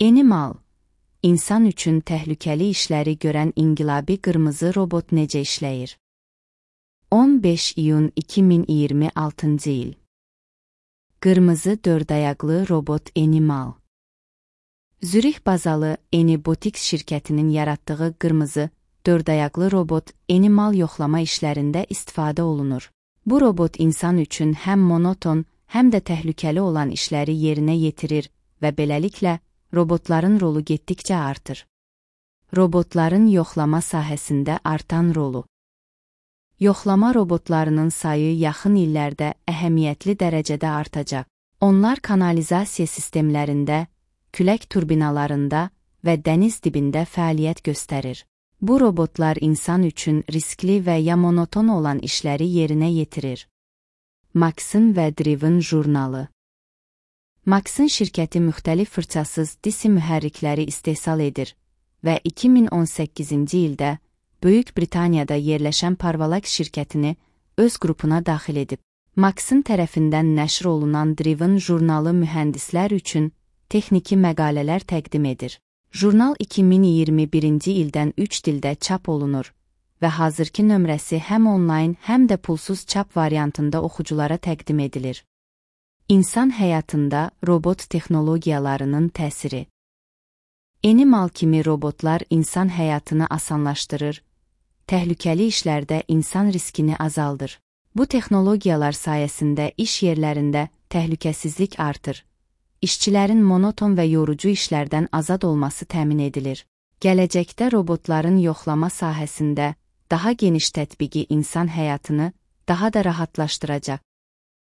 Animal, insan üçün təhlükəli işləri görən inqilabi qırmızı robot necə işləyir? 15 iyun 2026-cı il. Qırmızı dördayaqlı robot Animal. Zürih bazalı Anybotics şirkətinin yaratdığı qırmızı dördayaqlı robot Animal yoxlama işlərində istifadə olunur. Bu robot insan üçün həm monoton, həm də təhlükəli olan işləri yerinə yetirir və beləliklə robotların rolu getdikcə artır. Robotların yoxlama sahəsində artan rolu. Yoxlama robotlarının sayı yaxın illərdə əhəmiyyətli dərəcədə artacaq. Onlar kanalizasiya sistemlərində, külək turbinalarında və dəniz dibində fəaliyyət göstərir. Bu robotlar insan üçün riskli və ya monoton olan işləri yerinə yetirir. Maxim və Driven jurnalı. Maxim şirkəti müxtəlif fırçasız DC mühərrikləri istehsal edir və 2018-ci ildə Böyük Britaniyada yerləşən Parvalax şirkətini öz qrupuna daxil edib. Maxim tərəfindən nəşr olunan Driven jurnalı mühəndislər üçün texniki məqalələr təqdim edir. Jurnal 2021-ci ildən 3 dildə çap olunur və hazırki nömrəsi həm onlayn, həm də pulsuz çap variantında oxuculara təqdim edilir. İnsan həyatında robot texnologiyalarının təsiri. Animal kimi robotlar insan həyatını asanlaşdırır, təhlükəli işlərdə insan riskini azaldır. Bu texnologiyalar sayəsində iş yerlərində təhlükəsizlik artır. İşçilərin monoton və yorucu işlərdən azad olması təmin edilir. Gələcəkdə robotların yoxlama sahəsində daha geniş tətbiqi insan həyatını daha da rahatlaşdıracaq.